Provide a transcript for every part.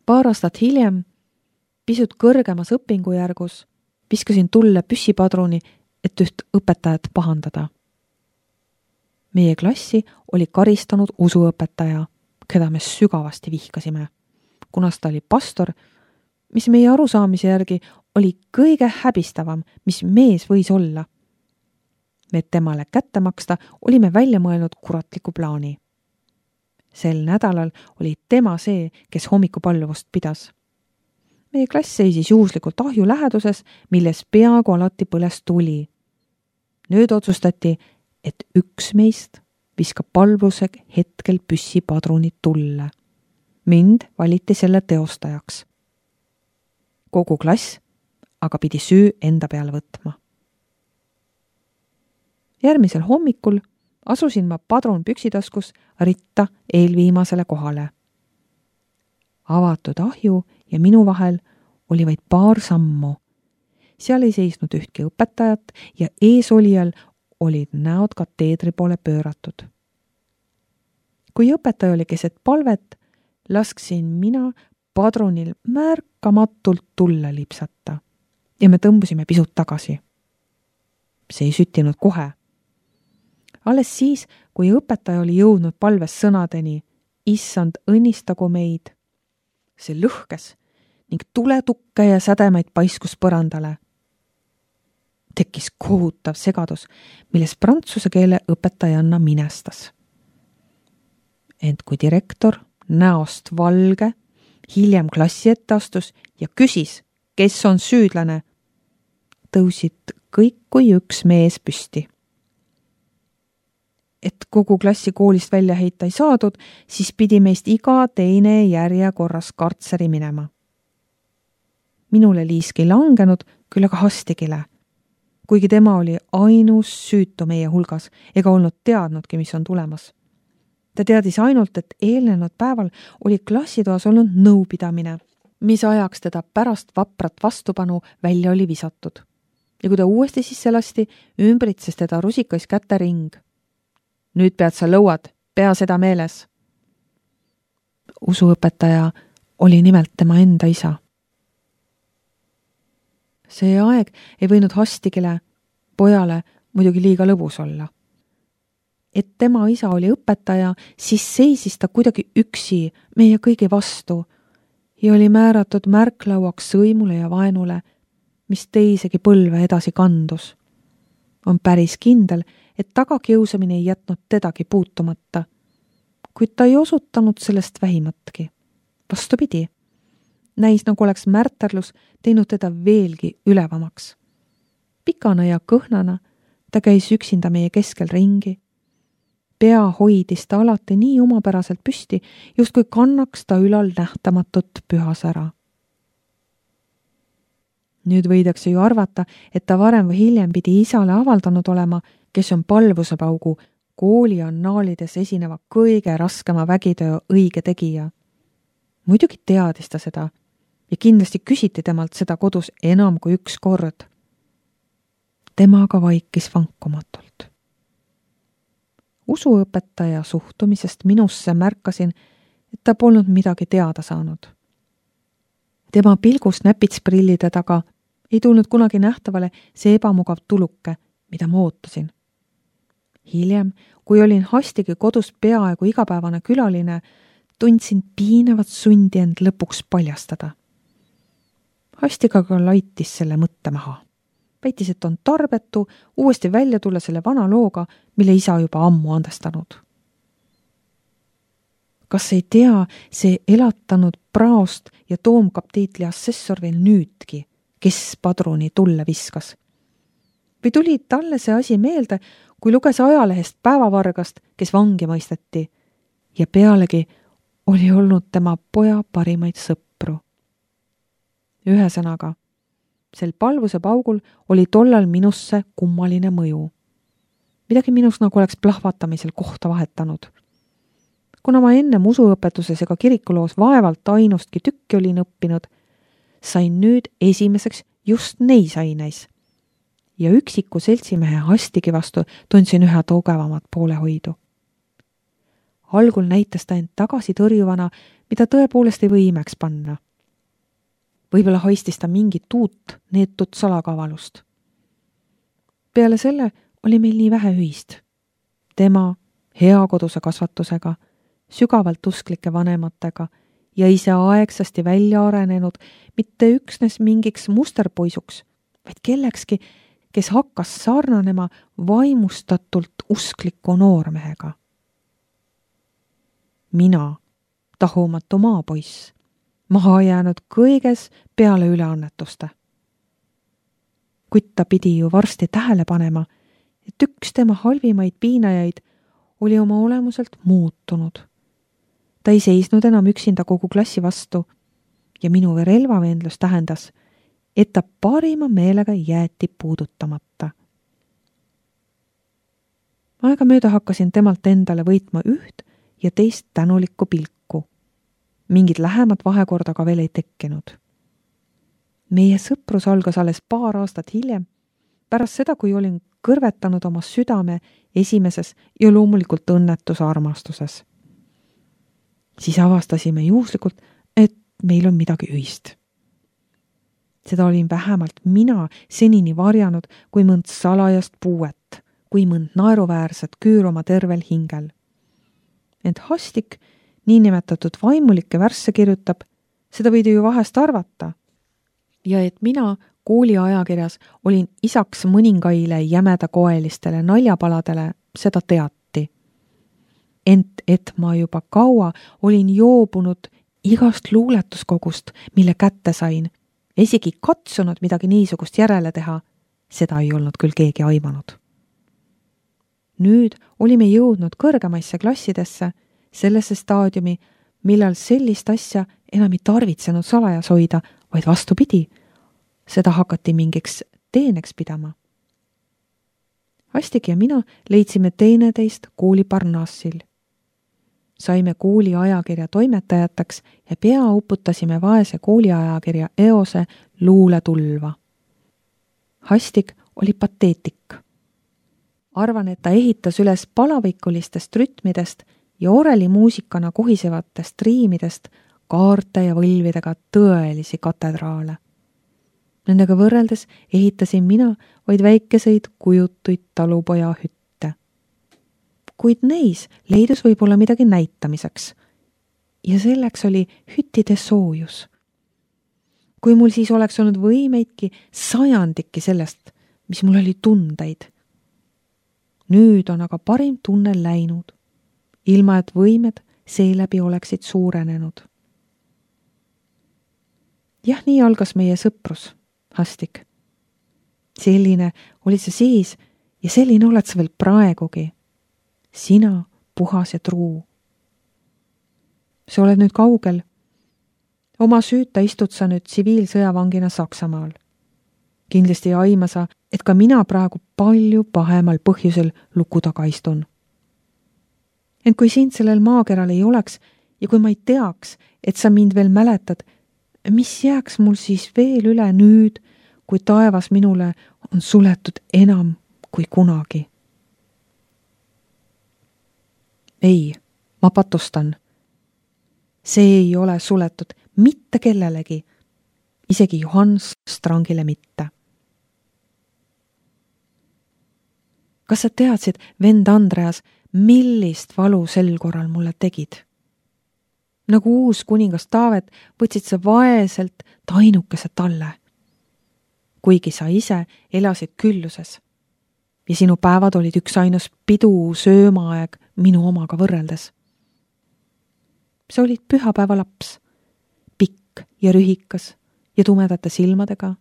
Paar aastat hiljem, pisut kõrgemas õpingujärgus, viskasin tulle püssipadruni, et üht õpetajat pahandada. Meie klassi oli karistanud usuõpetaja, keda me sügavasti vihkasime, kunas ta oli pastor, mis meie arusaamise järgi oli kõige häbistavam, mis mees võis olla. Me temale kätte maksta olime välja mõelnud kuratliku plaani. Sel nädalal oli tema see, kes hommikupalluvust pidas. Meie klass seisis juhuslikult ahju läheduses, milles peaaegu alati põles tuli. Nüüd otsustati, et üks meist viskab palvuse hetkel püssipadrunid tulle. Mind valiti selle teostajaks. Kogu klass aga pidi süü enda peale võtma. Järgmisel hommikul asusin ma padrun püksitaskus ritta eelviimasele kohale. Avatud ahju ja minu vahel oli vaid paar sammu. Seal ei seisnud ühtki õpetajat ja eesolijal olid näod kateedri poole pööratud. Kui õpetaja oli keset palvet, lasksin mina padrunil märkamatult tulle lipsata ja me tõmbusime pisut tagasi. See ei süttinud kohe. Alles siis, kui õpetaja oli jõudnud palves sõnadeni, issand, õnnistagu meid. See lõhkes ning tuletukke ja sädemaid paiskus põrandale. Tekkis kohutav segadus, milles prantsuse keele õpetajanna minestas. Ent kui direktor näost valge hiljem klassi ette astus ja küsis, kes on süüdlane, tõusid kõik kui üks mees püsti. Et kogu klassi koolist välja heita ei saadud, siis pidi meist iga teine järjekorras kartseri minema. Minule liiski langenud, küll aga Hastigile, kuigi tema oli ainus süütu meie hulgas ega olnud teadnudki, mis on tulemas. Ta teadis ainult, et eelnenud päeval oli klassitoas olnud nõupidamine, mis ajaks teda pärast vaprat vastupanu välja oli visatud. Ja kui ta uuesti sisse lasti, ümbritses teda rusikais käte ring. Nüüd pead sa lõuad, pea seda meeles. Usuõpetaja oli nimelt tema enda isa. See aeg ei võinud Hastigile, pojale, muidugi liiga lõbus olla. Et tema isa oli õpetaja, siis seisis ta kuidagi üksi meie kõigi vastu ja oli määratud märklauaks sõimule ja vaenule, mis teisegi põlve edasi kandus. On päris kindel, et tagakiusamine ei jätnud tedagi puutumata, kuid ta ei osutanud sellest vähimatki. Vastupidi, näis nagu oleks märterlus teinud teda veelgi ülevamaks. Pikana ja kõhnana ta käis üksinda meie keskel ringi. Pea hoidis ta alati nii omapäraselt püsti, justkui kannaks ta ülal nähtamatut pühasära. Nüüd võidakse ju arvata, et ta varem või hiljem pidi isale avaldanud olema, kes on palvusepaugu kooli annaalides esineva kõige raskema vägitöö õige tegija. Muidugi teadis ta seda ja kindlasti küsiti temalt seda kodus enam kui üks kord. Tema aga vaikis vankumatult. Usuõpetaja suhtumisest minusse märkasin, et ta polnud midagi teada saanud. Tema pilgus näpitsprillide taga ei tulnud kunagi nähtavale see ebamugav tuluke, mida ma ootasin. Hiljem, kui olin Hastigi kodus peaaegu igapäevane külaline, tundsin piinavat sundi end lõpuks paljastada. Hastig aga laitis selle mõtte maha. Väitis, et on tarbetu uuesti välja tulla selle vana looga, mille isa juba ammu andestanud. Kas ei tea see elatanud praost ja toomkaptiitli assessor veel nüüdki, kes padruni tulle viskas? Või tuli talle see asi meelde, kui luges ajalehest päevavargast, kes vangi mõisteti ja pealegi oli olnud tema poja parimaid sõpru. Ühesõnaga, sel palvuse paugul oli tollal minusse kummaline mõju. Midagi minus nagu oleks plahvatamisel kohta vahetanud. Kuna ma ennem usuõpetuses ega kirikuloos vaevalt ainustki tükki olin õppinud, sain nüüd esimeseks just neis aineis. Ja üksiku seltsimehe Hastigi vastu tundsin üha tugevamat poolehoidu. algul näitas ta end tagasi tõrjuvana, mida tõepoolest ei või imeks panna. Võib-olla haistis ta mingit uut neetut salakavalust. Peale selle oli meil nii vähe ühist. Tema hea koduse kasvatusega, sügavalt usklike vanematega ja ise aegsasti välja arenenud mitte üksnes mingiks musterpoisuks, vaid kellekski, kes hakkas sarnanema vaimustatult uskliku noormehega. Mina, tahumatu maapoiss, maha jäänud kõiges peale üleannetuste. Kuid ta pidi ju varsti tähele panema, et üks tema halvimaid piinajaid oli oma olemuselt muutunud. Ta ei seisnud enam üksinda kogu klassi vastu ja minu relvavendlus tähendas, et ta parima meelega jäeti puudutamata. Aegamööda hakkasin temalt endale võitma üht ja teist tänulikku pilku. Mingid lähemad vahekorda ka veel ei tekkinud. Meie sõprus algas alles paar aastat hiljem, pärast seda, kui olin kõrvetanud oma südame esimeses ja loomulikult õnnetuse armastuses. Siis avastasime juhuslikult, et meil on midagi ühist. Seda olin vähemalt mina senini varjanud kui mõnd salajast puuet, kui mõnd naeruväärset küür oma tervel hingel. Ent Hastik niinimetatud vaimulikke värsse kirjutab, seda võidi ju vahest arvata. Ja et mina kooli ajakirjas olin isaks mõningaile jämedakoelistele naljapaladele, seda teati. Ent et ma juba kaua olin joobunud igast luuletuskogust, mille kätte sain, isegi katsunud midagi niisugust järele teha, seda ei olnud küll keegi aimanud. Nüüd olime jõudnud kõrgemaisse klassidesse, sellesse staadiumi, millal sellist asja enam ei tarvitsenud salajas hoida, vaid vastupidi, seda hakati mingiks teeneks pidama. Hastik ja mina leidsime teineteist kooli Parnassil. Saime kooli ajakirja toimetajateks ja pea uputasime vaese kooliajakirja eose luuletulva. Hastik oli pateetik. Arvan, et ta ehitas üles palavikulistest rütmidest ja orelimuusikana kohisevatest riimidest kaarte ja võlvidega tõelisi katedraale. Nendega võrreldes ehitasin mina vaid väikeseid kujutuid talupoja hütte. Kuid neis leidus võib-olla midagi näitamiseks. Ja selleks oli hüttide soojus. Kui mul siis oleks olnud võimeidki sajandikki sellest, mis mul oli tundeid. Nüüd on aga parim tunne läinud, ilma et võimed seeläbi oleksid suurenenud. Jah, nii algas meie sõprus, Hastik. Selline olid sa siis ja selline oled sa veel praegugi. Sina, puhas ja truu. Sa oled nüüd kaugel. Oma süüta istud sa nüüd tsiviilsõjavangina Saksamaal. Kindlasti ei aima sa, et ka mina praegu palju pahemal põhjusel luku taga istun. Ent kui sind sellel maakeral ei oleks ja kui ma ei teaks, et sa mind veel mäletad, mis jääks mul siis veel üle nüüd, kui taevas minule on suletud enam kui kunagi? Ei, ma patustan. See ei ole suletud mitte kellelegi, isegi Johannes Strangile mitte. Kas sa teadsid, vend Andreas, millist valu sel korral mulle tegid? Nagu uus kuningas Taavet võtsid sa vaeselt tainukese talle. Kuigi sa ise elasid külluses ja sinu päevad olid üks ainus pidu söömaaeg minu omaga võrreldes. Sa olid pühapäeva laps, pikk ja rühikas ja tumedate silmadega.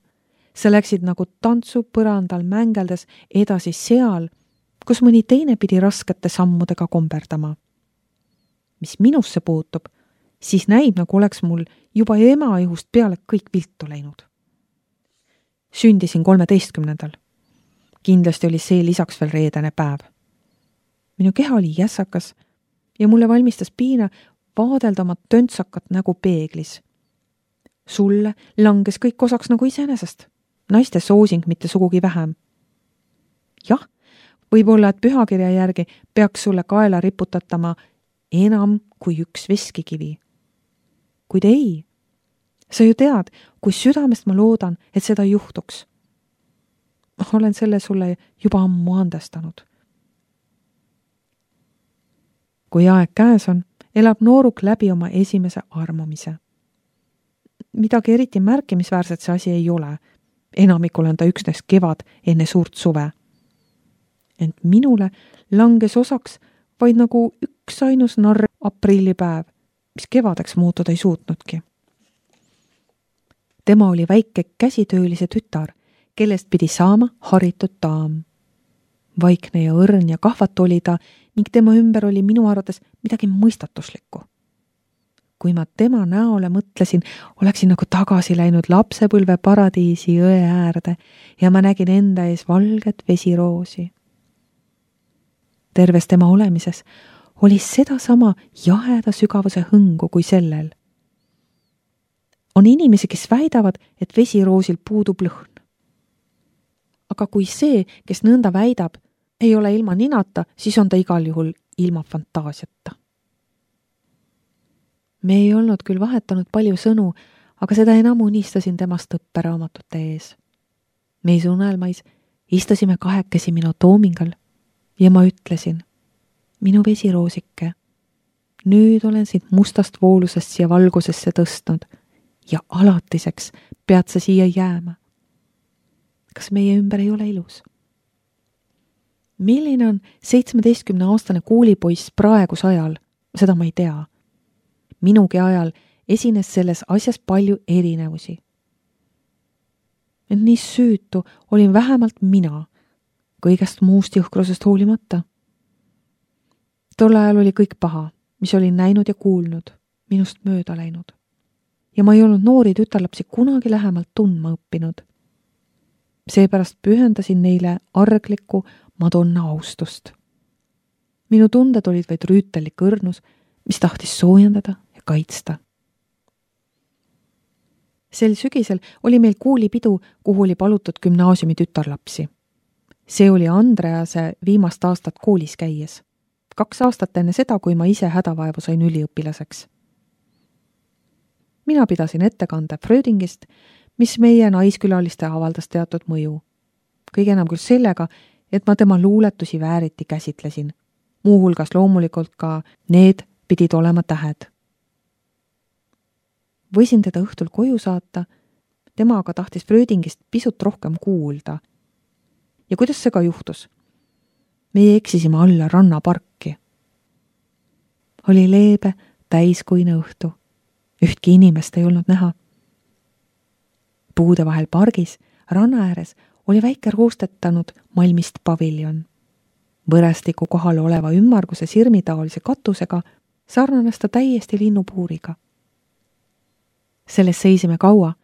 Sa läksid nagu tantsupõrandal mängeldes edasi seal, kus mõni teine pidi raskete sammudega komberdama. Mis minusse puutub, siis näib, nagu oleks mul juba ema ihust peale kõik viltu läinud. Sündisin 13. Kindlasti oli see lisaks veel reedene päev. Minu keha oli jässakas ja mulle valmistas piina vaadelda oma töntsakat nägu peeglis. Sulle langes kõik osaks nagu iseenesest. Naiste soosing mitte sugugi vähem. Jah, võib-olla, et pühakirja järgi peaks sulle kaela riputatama enam kui üks veskikivi. Kuid ei, sa ju tead, kui südamest ma loodan, et seda juhtuks. Olen selle sulle juba ammu andestanud. Kui aeg käes on, elab nooruk läbi oma esimese armumise. Midagi eriti märkimisväärset see asi ei ole. Enamikul on ta üksnes kevad enne suurt suve. Ent minule langes osaks vaid nagu üksainus narr aprillipäev, mis kevadeks muutuda ei suutnudki. Tema oli väike käsitöölise tütar, kellest pidi saama haritud daam. Vaikne ja õrn ja kahvatu oli ta ning tema ümber oli minu arvates midagi mõistatuslikku. Kui ma tema näole mõtlesin, oleksin nagu tagasi läinud lapsepõlve paradiisi jõe äärde ja ma nägin enda ees valget vesiroosi. Terves tema olemises oli sedasama jaheda sügavuse hõngu kui sellel. On inimesi, kes väidavad, et vesiroosil puudub lõhn. Aga kui see, kes nõnda väidab, ei ole ilma ninata, siis on ta igal juhul ilma fantaasiata. Me ei olnud küll vahetanud palju sõnu, aga seda enam unistasin temast õpperaamatute ees. Meis unelmais istusime kahekesi minu toomingal ja ma ütlesin, minu vesiroosike, nüüd olen sind mustast voolusest siia valgusesse tõstnud ja alatiseks pead sa siia jääma. Kas meie ümber ei ole ilus? Milline on 17-aastane koolipoiss praegus ajal, seda ma ei tea. Minugi ajal esines selles asjas palju erinevusi. Ent nii süütu olin vähemalt mina, kõigest muust jõhkrusest hoolimata. Tol ajal oli kõik paha, mis olin näinud ja kuulnud, minust mööda läinud. Ja ma ei olnud noori tütarlapsi kunagi lähemalt tundma õppinud. Seepärast pühendasin neile arglikku Madonna austust. Minu tunded olid vaid rüütellik õrnus, mis tahtis soojendada ja kaitsta. Sel sügisel oli meil koolipidu, kuhu oli palutud gümnaasiumi tütarlapsi. See oli Andrease viimast aastat koolis käies. 2 aastat enne seda, kui ma ise hädavaevu sain üliõpilaseks. Mina pidasin ettekande Frödingist, mis meie naiskülaliste avaldas teatud mõju. Kõige enam küll sellega, et ma tema luuletusi vääriti käsitlesin. Muuhulgas loomulikult ka need pidid olema tähed. Võisin teda õhtul koju saata, tema aga tahtis Frödingist pisut rohkem kuulda. Ja kuidas see ka juhtus? Meie eksisime alla rannaparki. Oli leebe, täiskuine õhtu. Ühtki inimest ei olnud näha. Puude vahel pargis, ranna ääres, oli väike roostetanud malmist paviljon. Võrestiku kohal oleva ümmarguse sirmitaolise katusega sarnanes ta täiesti linnupuuriga. Selles seisime kaua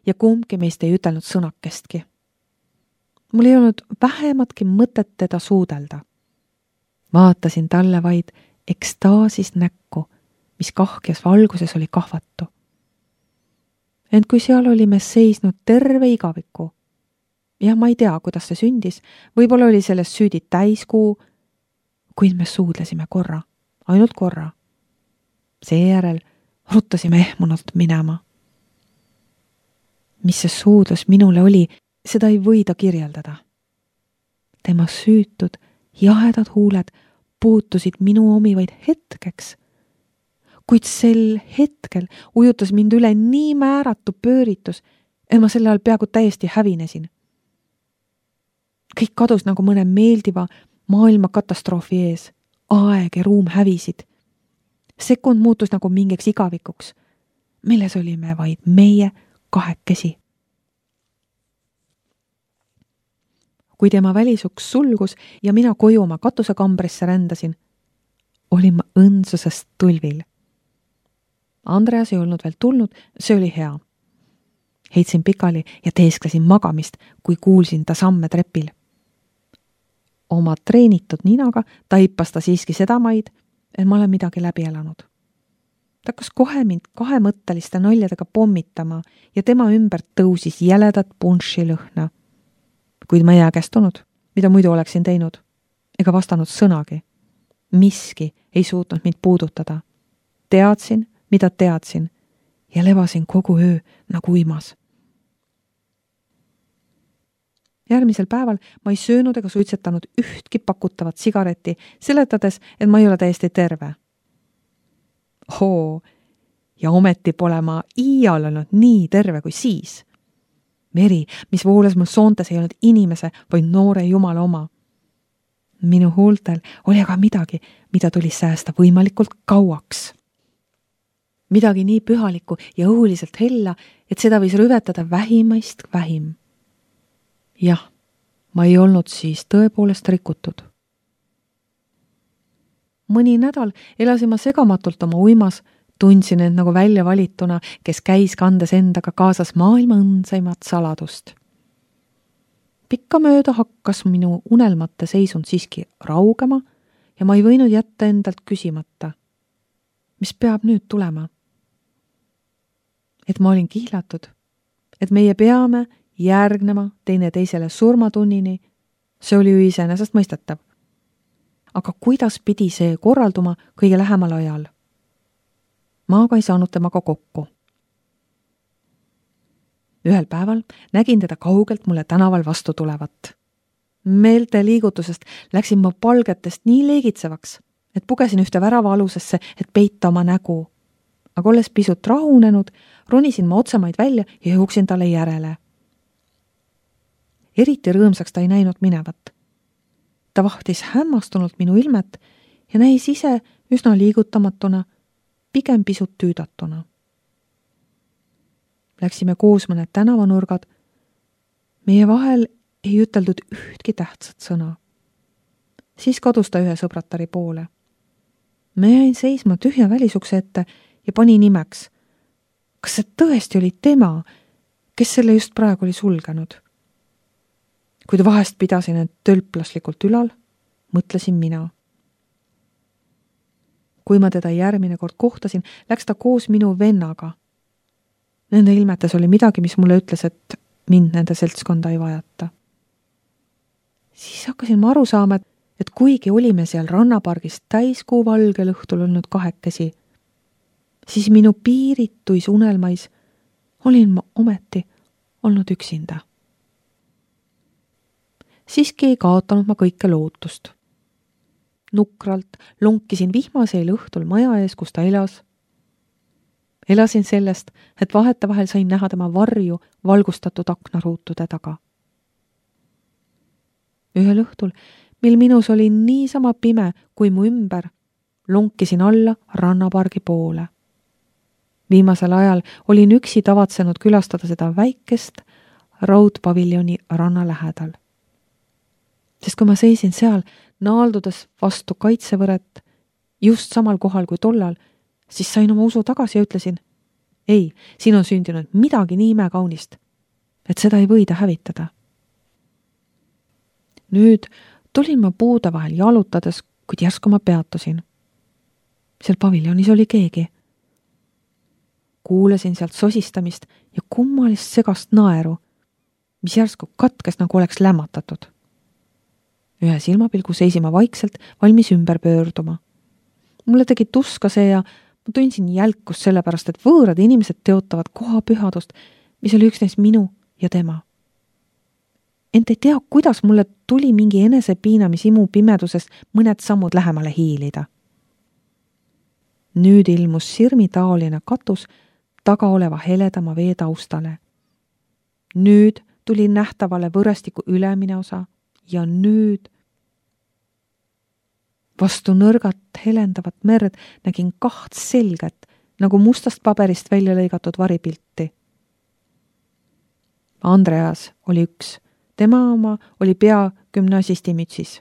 ja kumbki meist ei ütelnud sõnakestki. Mul ei olnud vähematki mõtet teda suudelda. Vaatasin talle vaid ekstaasis näkku, mis kahkjas valguses oli kahvatu. Ent kui seal olime seisnud terve igaviku, ja ma ei tea, kuidas see sündis, võib-olla oli sellest süüdi täiskuu, kuid me suudlesime korra, ainult korra. Seejärel ruttasime ehmunult minema. Mis see suudlus minule oli, seda ei võida kirjeldada. Tema süütud, jahedad huuled puutusid minu omi vaid hetkeks, kuid sel hetkel ujutas mind üle nii määratu pööritus, et ma selle all peaaegu täiesti hävinesin. Kõik kadus nagu mõne meeldiva maailma katastroofi ees. Aeg ja ruum hävisid. Sekund muutus nagu mingiks igavikuks, milles olime vaid meie kahekesi. Kui tema välisuks sulgus ja mina koju oma katusekambrisse rändasin, olin ma õndsusest tulvil. Andreas ei olnud veel tulnud, see oli hea. Heitsin pikali ja teesklesin magamist, kui kuulsin ta samme trepil. Oma treenitud ninaga taipas ta siiski seda maid, et ma olen midagi läbi elanud. Ta hakkas kohe mind kahemõtteliste naljadega pommitama ja tema ümber tõusis jäledat punši lõhna. Kuid ma ei jääkästunud, mida muidu oleksin teinud, ega vastanud sõnagi. Miski ei suutnud mind puudutada. Teadsin, mida teadsin ja levasin kogu öö nagu uimas. Järgmisel päeval ma ei söönud ega suitsetanud ühtki pakutavat sigaretti, seletades, et ma ei ole täiesti terve. Ja ometi pole ma iial olnud nii terve kui siis. Veri, mis vooles mul soontes, ei olnud inimese, vaid noore jumala oma. Minu huultel oli aga midagi, mida tuli säästa võimalikult kauaks. Midagi nii pühalikku ja õhuliselt hella, et seda võis rüvetada vähimaist vähim. Jah, ma ei olnud siis tõepoolest rikutud. Mõni nädal elasin ma segamatult oma uimas, tundsin end nagu välja valituna, kes käis kandes endaga kaasas maailma õndsaimat saladust. Pikkamööda hakkas minu unelmate seisund siiski raugema ja ma ei võinud jätta endalt küsimata. Mis peab nüüd tulema? Et ma olin kihlatud, et meie peame järgnema teine teisele surmatunnini, see oli ju iseenesest mõistetav. Aga kuidas pidi see korralduma kõige lähemal ajal? Ma aga ei saanud temaga kokku. Ühel päeval nägin teda kaugelt mulle tänaval vastu tulevat. Meelte liigutusest läksin ma palgetest nii leegitsevaks, et pugesin ühte värava alusesse, et peita oma nägu. Aga olles pisut rahunenud, ronisin ma otsemaid välja ja jooksin talle järele. Eriti rõõmsaks ta ei näinud minevat. Ta vahtis hämmastunult minu ilmet ja näis ise üsna liigutamatuna, pigem pisut tüüdatuna. Läksime koos mõned tänavanurgad. Meie vahel ei üteldud ühtki tähtsat sõna. Siis kadus ta ühe sõbratari poole. Ma jäin seisma tühja välisukse ette ja pani nimeks. Kas see tõesti oli tema, kes selle just praegu oli sulgenud? Kuid vahest pidasin end tölplaslikult ülal, mõtlesin mina. Kui ma teda järgmine kord kohtasin, läks ta koos minu vennaga. Nende ilmetes oli midagi, mis mulle ütles, et mind nende seltskonda ei vajata. Siis hakkasin ma aru saama, et kuigi olime seal rannapargis täiskuu valgel õhtul olnud kahekesi, siis minu piirituis unelmais olin ma ometi olnud üksinda. Siiski ei kaotanud ma kõike lootust. Nukralt lonkisin vihmaseel õhtul maja ees, kus ta elas. Elasin sellest, et vahetevahel sain näha tema varju valgustatud aknaruutude taga. Ühel õhtul, mil minus oli niisama pime kui mu ümber, lonkisin alla rannapargi poole. Viimasel ajal olin üksi tavatsenud külastada seda väikest raudpaviljoni ranna lähedal. Sest kui ma seisin seal, naaldudes vastu kaitsevõret, just samal kohal kui tollal, siis sain oma usu tagasi ja ütlesin, ei, siin on sündinud midagi nii imekaunist, et seda ei võida hävitada. Nüüd tulin ma puude vahel jalutades, kuid järsku ma peatusin. Seal paviljonis oli keegi. Kuulasin sealt sosistamist ja kummalist segast naeru, mis järsku katkes nagu oleks lämmatatud. Ühe silmapilgu seisima vaikselt, valmis ümber pöörduma. Mulle tegi tuska see ja ma tundsin jälkust sellepärast, et võõrad inimesed teotavad koha pühadust, mis oli üksnes minu ja tema. Ent ei tea, kuidas mulle tuli mingi enesepiinamisimu pimedusest mõned sammud lähemale hiilida. Nüüd ilmus sirmitaoline katus taga oleva heledama vee taustale. Nüüd tuli nähtavale võrestiku ülemine osa ja nüüd vastu nõrgat helendavat merd nägin 2 selget, nagu mustast paberist välja lõigatud varipilti. Andreas oli üks, tema oma oli pea gümnasistimütsis.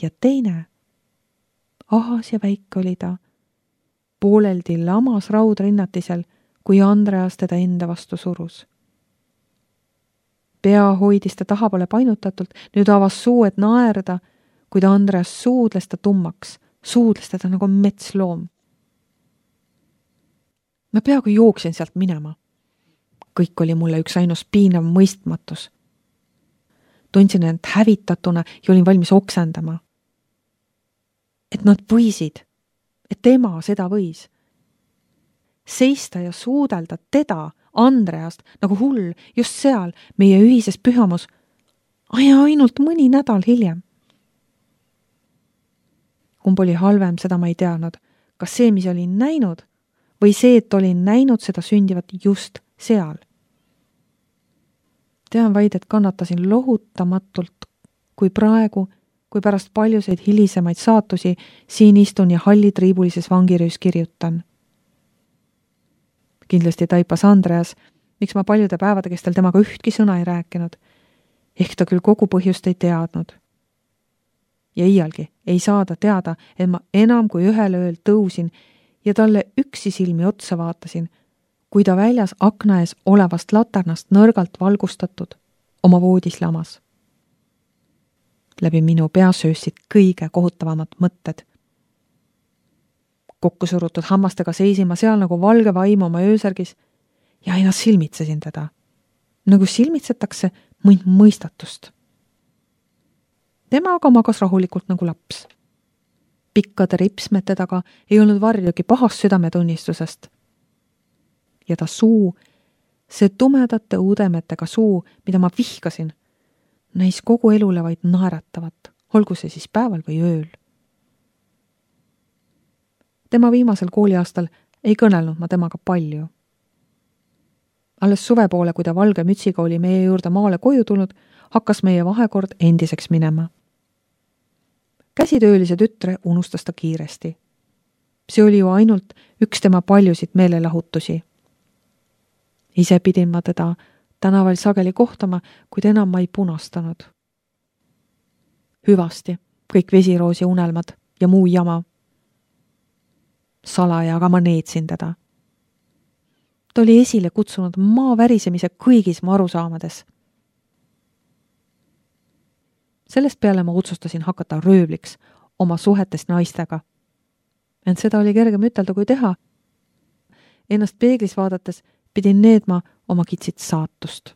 Ja teine, ahas ja väike oli ta, pooleldi lamas raudrinnatisel, kui Andreas teda enda vastu surus. Pea hoidis ta tahapoole painutatult, nüüd avas suu, et naerda, kuid Andreas suudles ta tummaks, suudles teda nagu metsloom. Ma peaaegu jooksin sealt minema. Kõik oli mulle üks ainus piinav mõistmatus. Tundsin end hävitatuna ja olin valmis oksendama. et nad võisid, et tema seda võis. Seista ja suudelda teda, Andreast, nagu hull, just seal, meie ühises pühamus, ja ainult mõni nädal hiljem. Kumb oli halvem, seda ma ei teadnud. Kas see, mis olin näinud, või see, et olin näinud seda sündivat just seal? Tean vaid, et kannatasin lohutamatult, kui praegu, kui pärast paljuseid hilisemaid saatusi siin istun ja hallitriibulises vangiröös kirjutan. Kindlasti taipas Andreas, miks ma paljude päevade kestel temaga ühtki sõna ei rääkinud. Ehk ta küll kogu põhjust ei teadnud. Ja iialgi ei saada teada, et ma enam kui ühel ööl tõusin ja talle üksi silmi otsa vaatasin, kui ta väljas akna ees olevast laternast nõrgalt valgustatud oma voodis lamas. Läbi minu pea söösid kõige kohutavamad mõtted. Kokku surutud hammastega seisima seal nagu valge vaim oma öösärgis ja aina silmitsesin teda, nagu silmitsetakse mõnd mõistatust. Tema aga magas rahulikult nagu laps. Pikkade ripsmete taga ei olnud varjugi pahast südametunnistusest. Ja ta suu, see tumedate uudemetega suu, mida ma vihkasin, näis kogu elule vaid naeratavat, olgu see siis päeval või ööl. Tema viimasel kooliaastal ei kõnelnud ma temaga palju. Alles suve poole, kui ta valge mütsiga oli meie juurde maale koju tulnud, hakkas meie vahekord endiseks minema. Käsitöölise tütre unustas ta kiiresti. See oli ju ainult üks tema paljusid meelelahutusi. Ise pidin ma teda tänaval sageli kohtama, kuid enam ma ei punastanud. Hüvasti, kõik vesiroosi unelmad ja muu jama. Salaja aga ma neetsin teda. Ta oli esile kutsunud maa värisemise kõigis mu arusaamades. Sellest peale ma otsustasin hakata röövliks oma suhetest naistega. Ent seda oli kergem ütelda kui teha. Ennast peeglis vaadates pidin needma oma kitsit saatust.